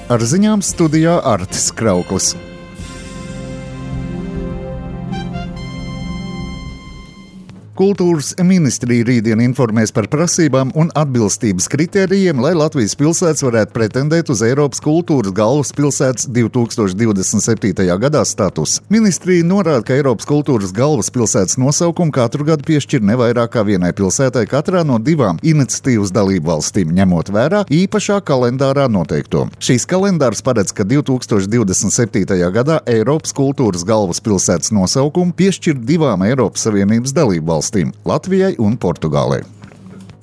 Ar ziņām studijā Artis Krauklis. Kultūras ministrija rītdien informēs par prasībām un atbilstības kritērijiem, lai Latvijas pilsētas varētu pretendēt uz Eiropas kultūras galvaspilsētas 2027. gadā status. Ministrija norāda, ka Eiropas kultūras galvaspilsētas nosaukumu katru gadu piešķir ne vairāk kā vienai pilsētai katrā no 2 iniciatīvas dalību valstīm, ņemot vērā īpašā kalendārā noteikto. Šīs kalendārs paredz, ka 2027. gadā Eiropas kultūras galvaspilsētas nosaukumu piešķir 2 Eiropas Savienības dalību valstīm. Latvijai un Portugālei.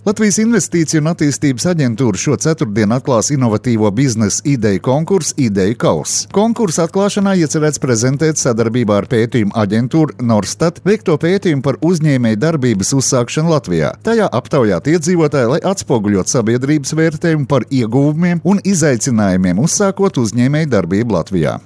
Latvijas Investīciju un attīstības aģentūra šo ceturtdienu atklās inovatīvo biznesa ideju konkursu Ideju kauss. Konkursa atklāšanā iecerēts prezentēt sadarbībā ar pētījumu aģentūru Norstat veikto pētījumu par uzņēmēju darbības uzsākšanu Latvijā. Tajā aptaujāt iedzīvotāji, lai atspoguļot sabiedrības vērtējumu par ieguvumiem un izaicinājumiem uzsākot uzņēmēju darbību Latvijā.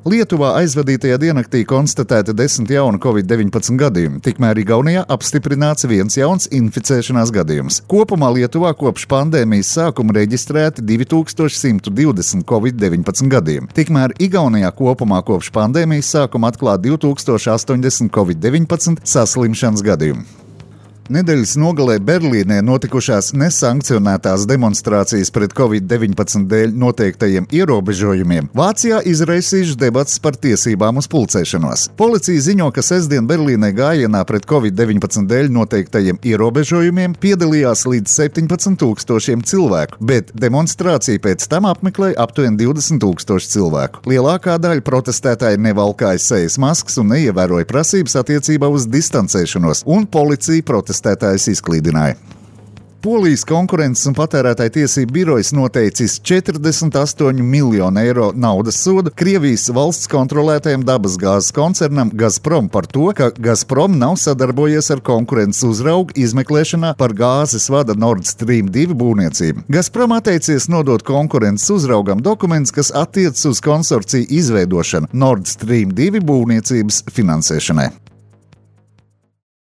Lietuvā aizvadītajā diennaktī konstatēta 10 jaunu Covid-19 gadījumi, tikmēr Igaunijā apstiprināts 1 jauns inficēšanās gadījums. Kopumā Lietuvā kopš pandēmijas sākuma reģistrēti 2120 Covid-19 gadījumi, tikmēr Igaunijā kopumā kopš pandēmijas sākuma atklāt 2080 Covid-19 saslimšanas gadījumi. Nedēļas nogalē Berlīnē notikušās nesankcionētās demonstrācijas pret Covid-19 dēļ noteiktajiem ierobežojumiem Vācijā izraisījušas debates par tiesībām uz pulcēšanos. Policija ziņo, ka sestdien Berlīnē gājienā pret Covid-19 dēļ noteiktajiem ierobežojumiem piedalījās līdz 17,000 cilvēku, bet demonstrāciju pēc tam apmeklēja aptuveni 20,000 cilvēku. Lielākā daļa protestētāji nevalkāja sejas maskas un neievēroja prasības attiecībā uz distancēšanos, un policija protestētājus izklīdināja. Polijas konkurences un patērētāju tiesību birojas noteicis 48 miljonu eiro naudas sodu Krievijas valsts kontrolētajam dabasgāzes koncernam Gazprom par to, ka Gazprom nav sadarbojies ar konkurences uzraugu izmeklēšanā par gāzes vada Nord Stream 2 būvniecību. Gazprom atteicies nodot konkurences uzraugam dokumentus, kas attiecas uz konsorciju izveidošanu Nord Stream 2 būvniecības finansēšanai.